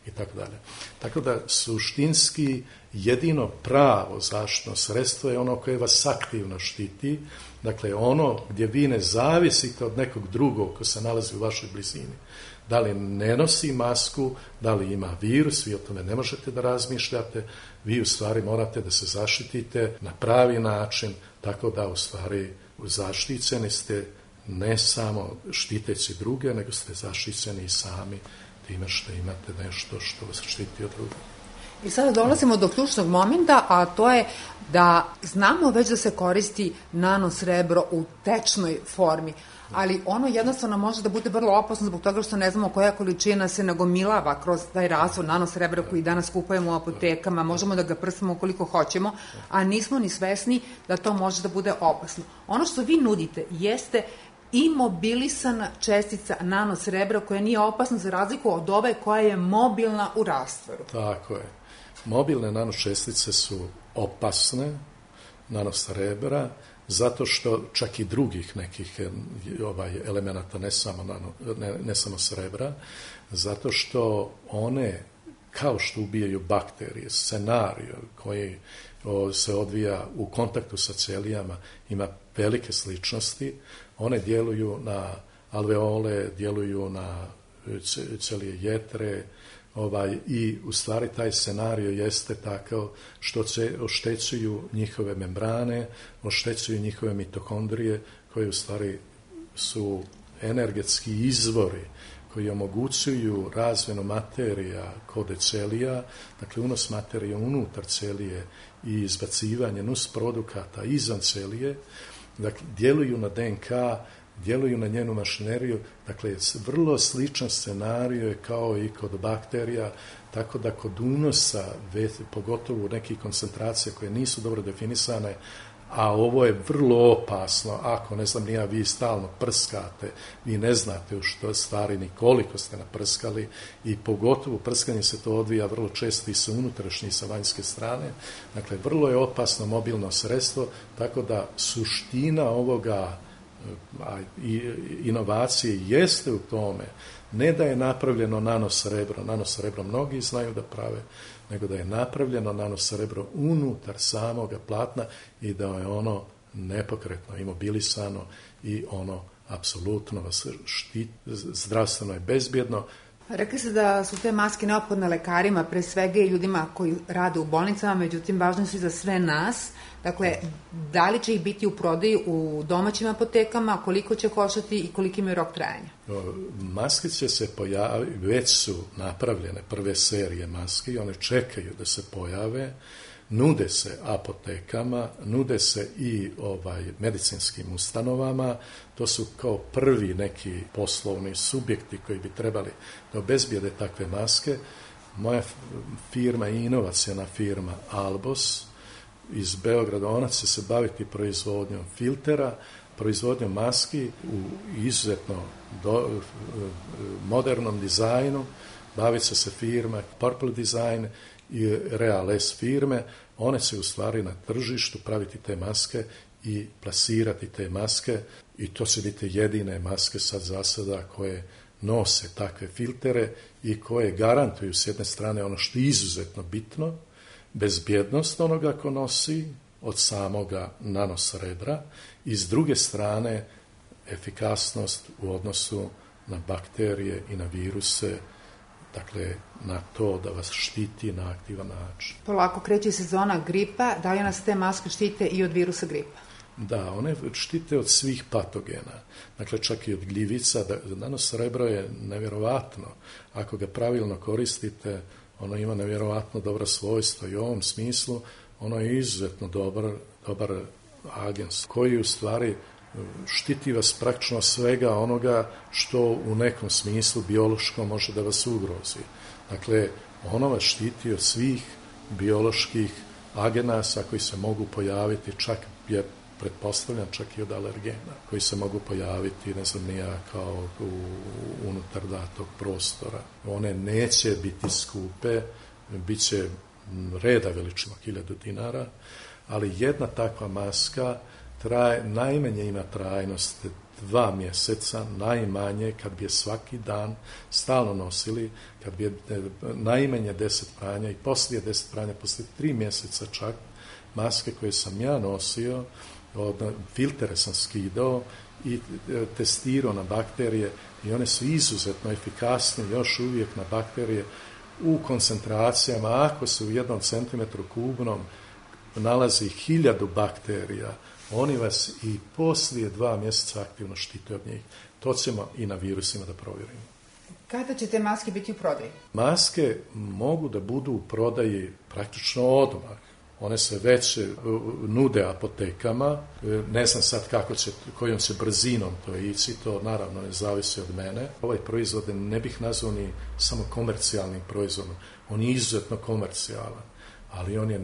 i tako dalje. Tako da suštinski jedino pravo zaštitno sredstvo je ono koje vas aktivno štiti, dakle ono gdje vi ne zavisite od nekog drugog ko se nalazi u vašoj blizini. Da li ne nosi masku, da li ima virus, vi o tome ne možete da razmišljate, vi u stvari morate da se zaštitite na pravi način, tako da u stvari zaštićeni ste ne samo štiteći druge, nego ste zaštićeni i sami time što imate nešto što vas štiti od drugog. I sada dolazimo do ključnog momenta, a to je da znamo već da se koristi nanosrebro u tečnoj formi, ali ono jednostavno može da bude vrlo opasno zbog toga što ne znamo koja količina se nagomilava kroz taj razvoj nanosrebra koji danas kupujemo u apotekama, možemo da ga prsamo koliko hoćemo, a nismo ni svesni da to može da bude opasno. Ono što vi nudite jeste imobilisana čestica nanosrebra koja nije opasna za razliku od ove koja je mobilna u rastvoru. Tako je. Mobilne nanočestice su opasne, nanosrebra, zato što čak i drugih nekih elemenata, ne samo srebra, zato što one, kao što ubijaju bakterije, scenario koji se odvija u kontaktu sa ćelijama, ima velike sličnosti. One djeluju na alveole, djeluju na ćelije jetre, i u stvari taj scenario jeste takav što oštećuju njihove membrane, oštećuju njihove mitokondrije, koje u stvari su energetski izvori koji omogućuju razmjenu materija kod ćelija, dakle unos materija unutar ćelije i izbacivanje nusprodukata izvan ćelije, dakle djeluju na DNK, djeluju na njenu mašineriju, dakle vrlo sličan scenario je kao i kod bakterija, tako da kod unosa, pogotovo u nekih koncentracija koje nisu dobro definisane, a ovo je vrlo opasno, ako, ne znam, nija, vi stalno prskate, vi ne znate u što stvari ni koliko ste naprskali i pogotovo prskanje se to odvija vrlo često i sa unutrašnje i sa vanjske strane, dakle vrlo je opasno mobilno sredstvo, tako da suština ovoga a inovacije jeste u tome, ne da je napravljeno nanosrebro mnogi znaju da prave, nego da je napravljeno nanosrebro unutar samoga platna i da je ono nepokretno, imobilisano i ono apsolutno vas štiti, zdravstveno je bezbjedno. Rekli ste da su te maske neophodne lekarima, pre svega i ljudima koji rade u bolnicama, međutim važne su i za sve nas. Dakle, da li će ih biti u prodaji u domaćim apotekama, koliko će koštati i koliki imaju rok trajanja? Maske će se pojaviti, već su napravljene prve serije maske i one čekaju da se pojave, nude se apotekama, nude se i medicinskim ustanovama, to su kao prvi neki poslovni subjekti koji bi trebali da obezbijede takve maske. Moja firma je inovacijona firma Albos iz Beograda, ona će se baviti proizvodnjom filtera, proizvodnjom maski u izuzetno modernom dizajnu, bavit će se firma Purple Design i Real S firme, one će u stvari na tržištu praviti te maske i plasirati te maske i to će biti jedine maske sad za sada koje nose takve filtere i koje garantuju s jedne strane ono što je izuzetno bitno, bezbjednost onoga ko nosi od samoga nanosrebra i s druge strane efikasnost u odnosu na bakterije i na viruse, dakle na to da vas štiti na aktivan način. Polako kreće sezona gripa, da li nas te maske štite i od virusa gripa? Da, one štite od svih patogena, dakle čak i od gljivica. Nanosrebro je nevjerovatno, ako ga pravilno koristite, ono ima nevjerovatno dobra svojstva i u ovom smislu ono je izuzetno dobar agens koji u stvari štiti vas praktično svega onoga što u nekom smislu biološkom može da vas ugrozi. Dakle, ono vas štiti od svih bioloških agenasa koji se mogu pojaviti, čak je pretpostavljam čak i od alergena, koji se mogu pojaviti, ne znam nija, kao unutar datog prostora. One neće biti skupe, bit će reda veličina 1000 dinara, ali jedna takva maska najmanje ima trajnost 2 mjeseca, najmanje kad bi je svaki dan stalno nosili, kad bi je najmanje 10 pranja i poslije 10 pranja, poslije 3 mjeseca čak, maske koje sam ja nosio, filtere sam skidao i testirao na bakterije i one su izuzetno efikasne još uvijek na bakterije u koncentracijama. Ako se u 1 centimetru kubnom nalazi 1000 bakterija, oni vas i poslije 2 mjeseca aktivno štite od njih. To ćemo i na virusima da provjerimo. Kada će te maske biti u prodaji? Maske mogu da budu u prodaji praktično odmah. One se već nude apotekama, ne znam sad kojom će brzinom to ići, to naravno ne zavisi od mene. Ovaj proizvod ne bih nazvao ni samo komercijalnim proizvodom, on je izuzetno komercijalan, ali on je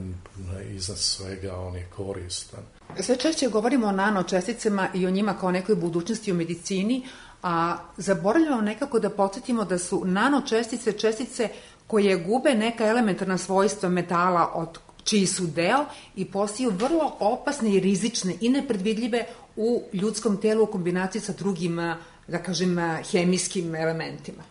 iznad svega, on je koristan. Sve češće govorimo o nanočesticama i o njima kao nekoj budućnosti u medicini, a zaboravljamo nekako da podsjetimo da su nanočestice čestice koje gube neka elementarna svojstva metala od čiji su deo i postaju vrlo opasne i rizične i nepredvidljive u ljudskom telu u kombinaciji sa drugim, da kažem, hemijskim elementima.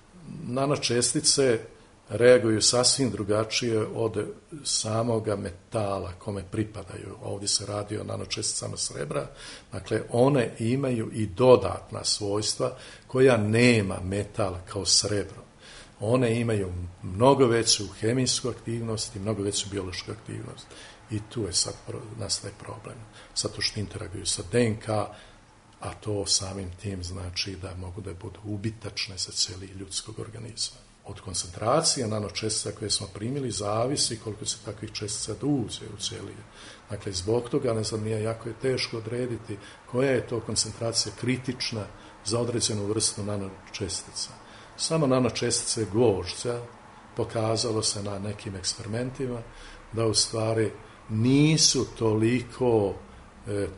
Nanočestice reaguju sasvim drugačije od samoga metala kome pripadaju. Ovdje se radi o nanočesticama srebra, dakle one imaju i dodatna svojstva koja nema metal kao srebro. One imaju mnogo veću hemijsku aktivnost i mnogo veću biološku aktivnost. I tu je sad nastaje problem. Zato što interaguju sa DNK, a to samim tim znači da mogu da budu ubitačne za cijeli ljudskog organizma. Od koncentracije nanočestica koje smo primili zavisi koliko se takvih čestica da uđe u cijeli. Dakle, zbog toga, ne znam, jako je teško odrediti koja je to koncentracija kritična za određenu vrstu nanočestica. Samo nanočestice gvožđa pokazalo se na nekim eksperimentima da u stvari nisu toliko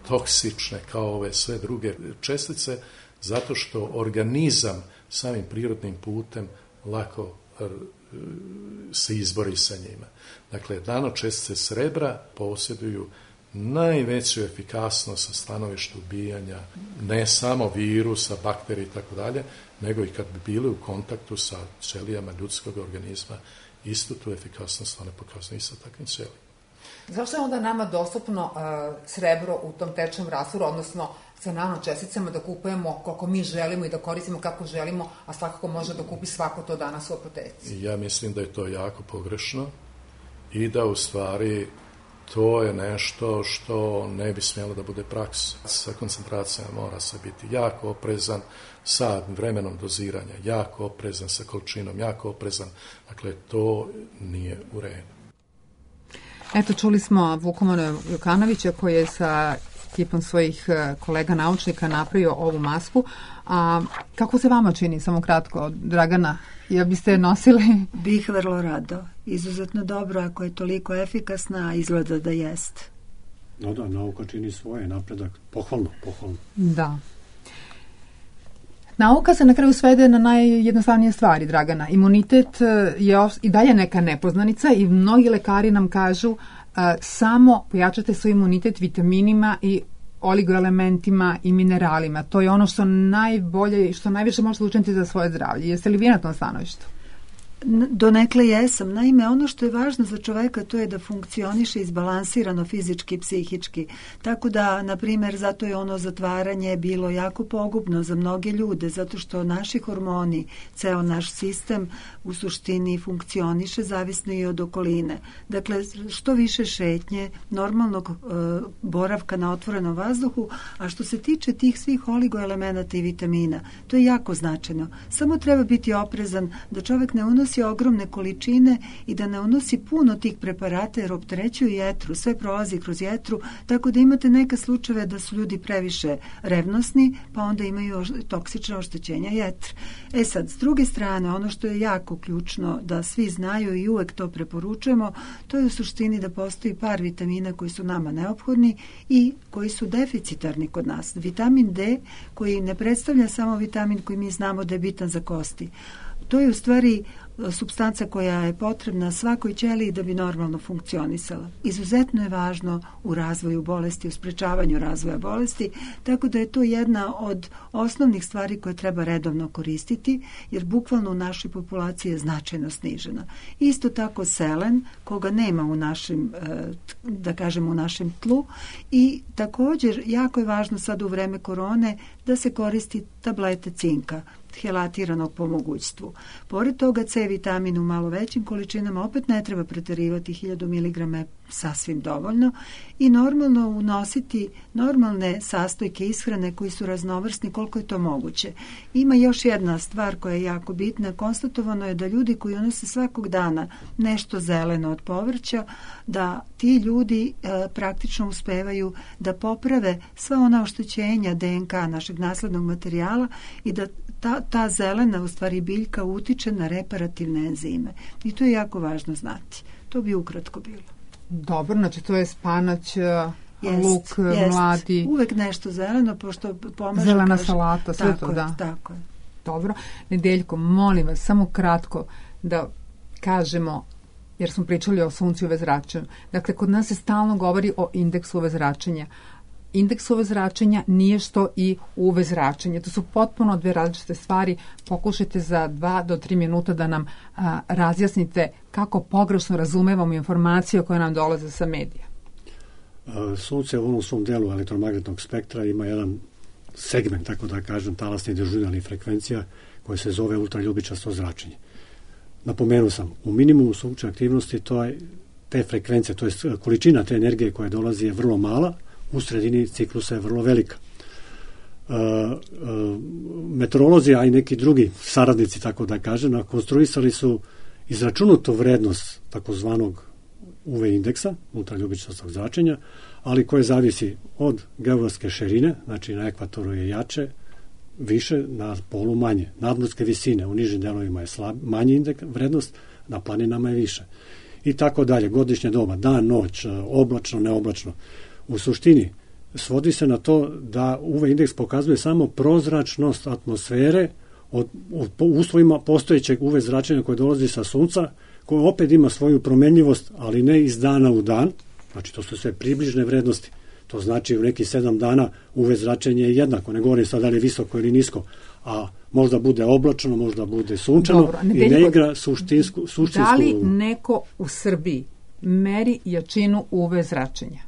toksične kao ove sve druge čestice, zato što organizam samim prirodnim putem lako se izbori sa njima. Dakle, nanočestice srebra posjeduju najveću efikasnost sa stanovišta ubijanja ne samo virusa, bakterija i tako dalje, nego i kad bi bili u kontaktu sa ćelijama ljudskog organizma, istu tu efikasnost one pokazuju i sa takvim ćelijama. Zašto je onda nama dostupno srebro u tom tečnom rastvoru, odnosno sa nanočesticama da kupujemo koliko mi želimo i da koristimo kako želimo, a svakako može da kupi svako to danas u apoteci? Ja mislim da je to jako pogrešno i da u stvari to je nešto što ne bi smjelo da bude praksa. Sa koncentracijama mora se biti jako oprezan, sa vremenom doziranja jako oprezan, sa količinom jako oprezan. Dakle, to nije u redu. Eto, čuli smo Vukomana Jokanovića koji je sa ekipom svojih kolega naučnika napravio ovu masku. A kako se vama čini, samo kratko, Dragana? Ja biste je nosili? Bih vrlo rado. Izuzetno dobro ako je toliko efikasna, a izgleda da jest. No da, nauka čini svoje, napredak. Pohvalno. Da. Nauka se na kraju svede na najjednostavnije stvari, Dragana. Imunitet je i dalje neka nepoznanica i mnogi lekari nam kažu samo pojačate svoj imunitet vitaminima i oligoelementima i mineralima. To je ono što najbolje i što najviše možete učiniti za svoje zdravlje. Jeste li vi na tom stanovištu? Donekle jesam. Naime, ono što je važno za čoveka to je da funkcioniše izbalansirano fizički i psihički. Tako da, na primjer, zato je ono zatvaranje bilo jako pogubno za mnoge ljude, zato što naši hormoni, ceo naš sistem u suštini funkcioniše zavisno i od okoline. Dakle, što više šetnje, normalnog boravka na otvorenom vazduhu, a što se tiče tih svih oligoelemenata i vitamina, to je jako značajno. Samo treba biti oprezan da čovek ne unosi ogromne količine i da ne unosi puno tih preparata jer opterećuju jetru, sve prolazi kroz jetru, tako da imate neke slučajeve da su ljudi previše revnosni, pa onda imaju toksična oštećenja jetre. Sad, s druge strane, ono što je jako ključno da svi znaju i uvek to preporučujemo, to je u suštini da postoji par vitamina koji su nama neophodni i koji su deficitarni kod nas. Vitamin D, koji ne predstavlja samo vitamin koji mi znamo da je bitan za kosti. To je u stvari supstanca koja je potrebna svakoj ćeliji da bi normalno funkcionisala. Izuzetno je važno u razvoju bolesti, u sprečavanju razvoja bolesti, tako da je to jedna od osnovnih stvari koje treba redovno koristiti, jer bukvalno u našoj populaciji je značajno snižena. Isto tako selen, koga nema u našem, da kažemo, u našem tlu, i također jako je važno sad u vreme korone da se koristi tablete cinka, helatiranog po mogućstvu. Pored toga C vitamin u malo većim količinama opet ne treba preterivati, 1000 mg je sasvim dovoljno, i normalno unositi normalne sastojke ishrane koji su raznovrsni koliko je to moguće. Ima još jedna stvar koja je jako bitna. Konstatovano je da ljudi koji unose svakog dana nešto zeleno od povrća, da ti ljudi praktično uspevaju da poprave sva ona oštećenja DNK našeg naslednog materijala i da ta zelena u stvari biljka utiče na reparativne enzime. I to je jako važno znati. To bi ukratko bilo. Dobro, znači to je spanać, luk, mladi. Uvek nešto zeleno, pošto pomaže. Zelena salata, sve tako to, da. Tako je. Dobro. Nedeljko, molim vas, samo kratko da kažemo, jer smo pričali o suncu i UV zračenju. Dakle, kod nas se stalno govori o indeksu UV zračenja. Indeks UV zračenja nije što i UV zračenje. To su potpuno dve različite stvari. Pokušajte za 2 do 3 minuta da nam razjasnite kako pogrešno razumevamo informacije koje nam dolaze sa medija. Sunce u onom svom delu elektromagnetnog spektra ima jedan segment, tako da kažem, talasnih dežurnih frekvencija koje se zove ultraljubičasto zračenje. Napomenuo sam, u minimumu sunčeve aktivnosti te frekvencije, to je količina te energije koja dolazi je vrlo mala, u sredini ciklusa je vrlo velika. Meteorolozi, a i neki drugi saradnici, tako da kažem, konstruisali su izračunutu vrednost takozvanog UV indeksa, ultraljubičastog zračenja, ali koje zavisi od geografske širine, znači na ekvatoru je jače, više, na polu manje. Nadmorske visine, u nižim delovima je manji indeks, vrednost, na planinama je više. I tako dalje, godišnje doba, dan, noć, oblačno, neoblačno. U suštini svodi se na to da UV indeks pokazuje samo prozračnost atmosfere u uslovima postojećeg UV zračenja koje dolazi sa sunca, koje opet ima svoju promenljivost, ali ne iz dana u dan, Znači, to su sve približne vrednosti. To znači u neki 7 dana UV zračenje je jednako. Ne govorim sad da li je visoko ili nisko, a možda bude oblačno, možda bude sunčano. Dobro, i ne igra suštinsku Da li neko u Srbiji meri jačinu UV zračenja?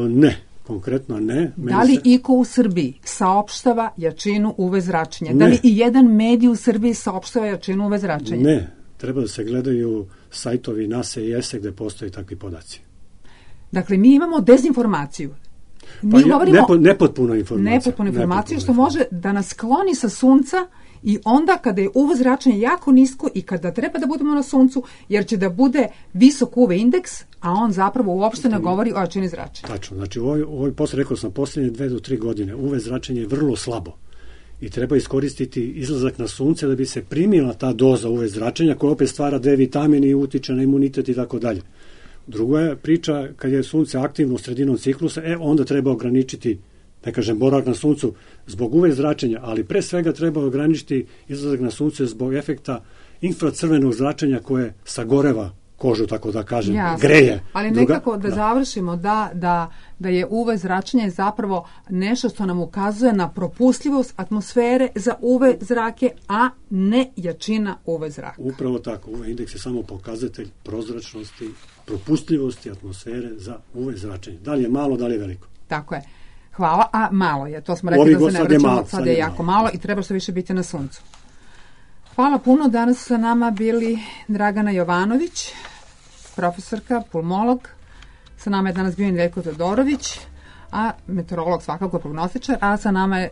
Ne, konkretno ne. Da li iko u Srbiji saopštava jačinu UV zračenja? Da li i jedan medij u Srbiji saopštava jačinu UV zračenja? Ne, treba da se gledaju sajtovi NASA i ESE gde postoje takvi podaci. Dakle, mi imamo dezinformaciju. Nepotpunu informaciju. Što može da nas skloni sa sunca i onda kada je UV zračenje jako nisko i kada treba da budemo na suncu, jer će da bude visok UV indeks, a on zapravo uopšte ne govori o jačini zračenja. Tačno, znači rekao sam, posljednje 2 do 3 godine UV zračenje je vrlo slabo i treba iskoristiti izlazak na sunce da bi se primila ta doza UV zračenja koja opet stvara D vitamini i utiče na imunitet i tako dalje. Druga je priča, kad je sunce aktivno sredinom ciklusa, onda treba ograničiti, ne kažem, boravak na suncu zbog UV zračenja, ali pre svega treba ograničiti izlazak na sunce zbog efekta infracrvenog zračenja koje sagoreva kožu, tako da kažem, greje. Ali nekako završimo da je UV zračenje zapravo nešto što nam ukazuje na propustljivost atmosfere za UV zrake, a ne jačina UV zraka. Upravo tako, UV indeks je samo pokazatelj prozračnosti, propustljivosti atmosfere za UV zračenje. Da li je malo, da li je veliko? Tako je. Hvala, a malo je. To smo rekli da se ne vraćamo, sad je jako malo i treba što više biti na suncu. Hvala puno. Danas su sa nama bili Dragana Jovanović, profesorka, pulmolog. Sa nama je danas bio Veljko Todorović, a meteorolog, svakako prognostičar, a sa nama je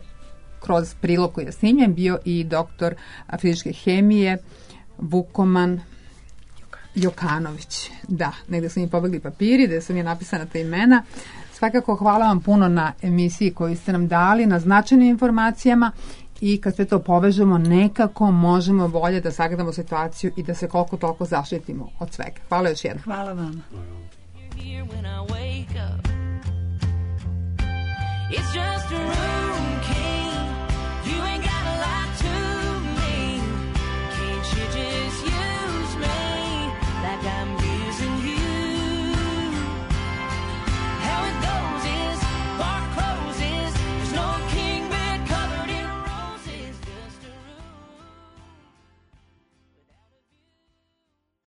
kroz prilog koji je snimljen bio i doktor fizičke hemije Vukoman Jokanović. Da, negde su mi pobegli papiri, gde su mi napisana ta imena. Svakako hvala vam puno na emisiji koju ste nam dali, na značajnim informacijama i kad sve to povežemo nekako možemo bolje da sagledamo situaciju i da se koliko toliko zaštitimo od svega. Hvala još jednom. Hvala vam. It's just a room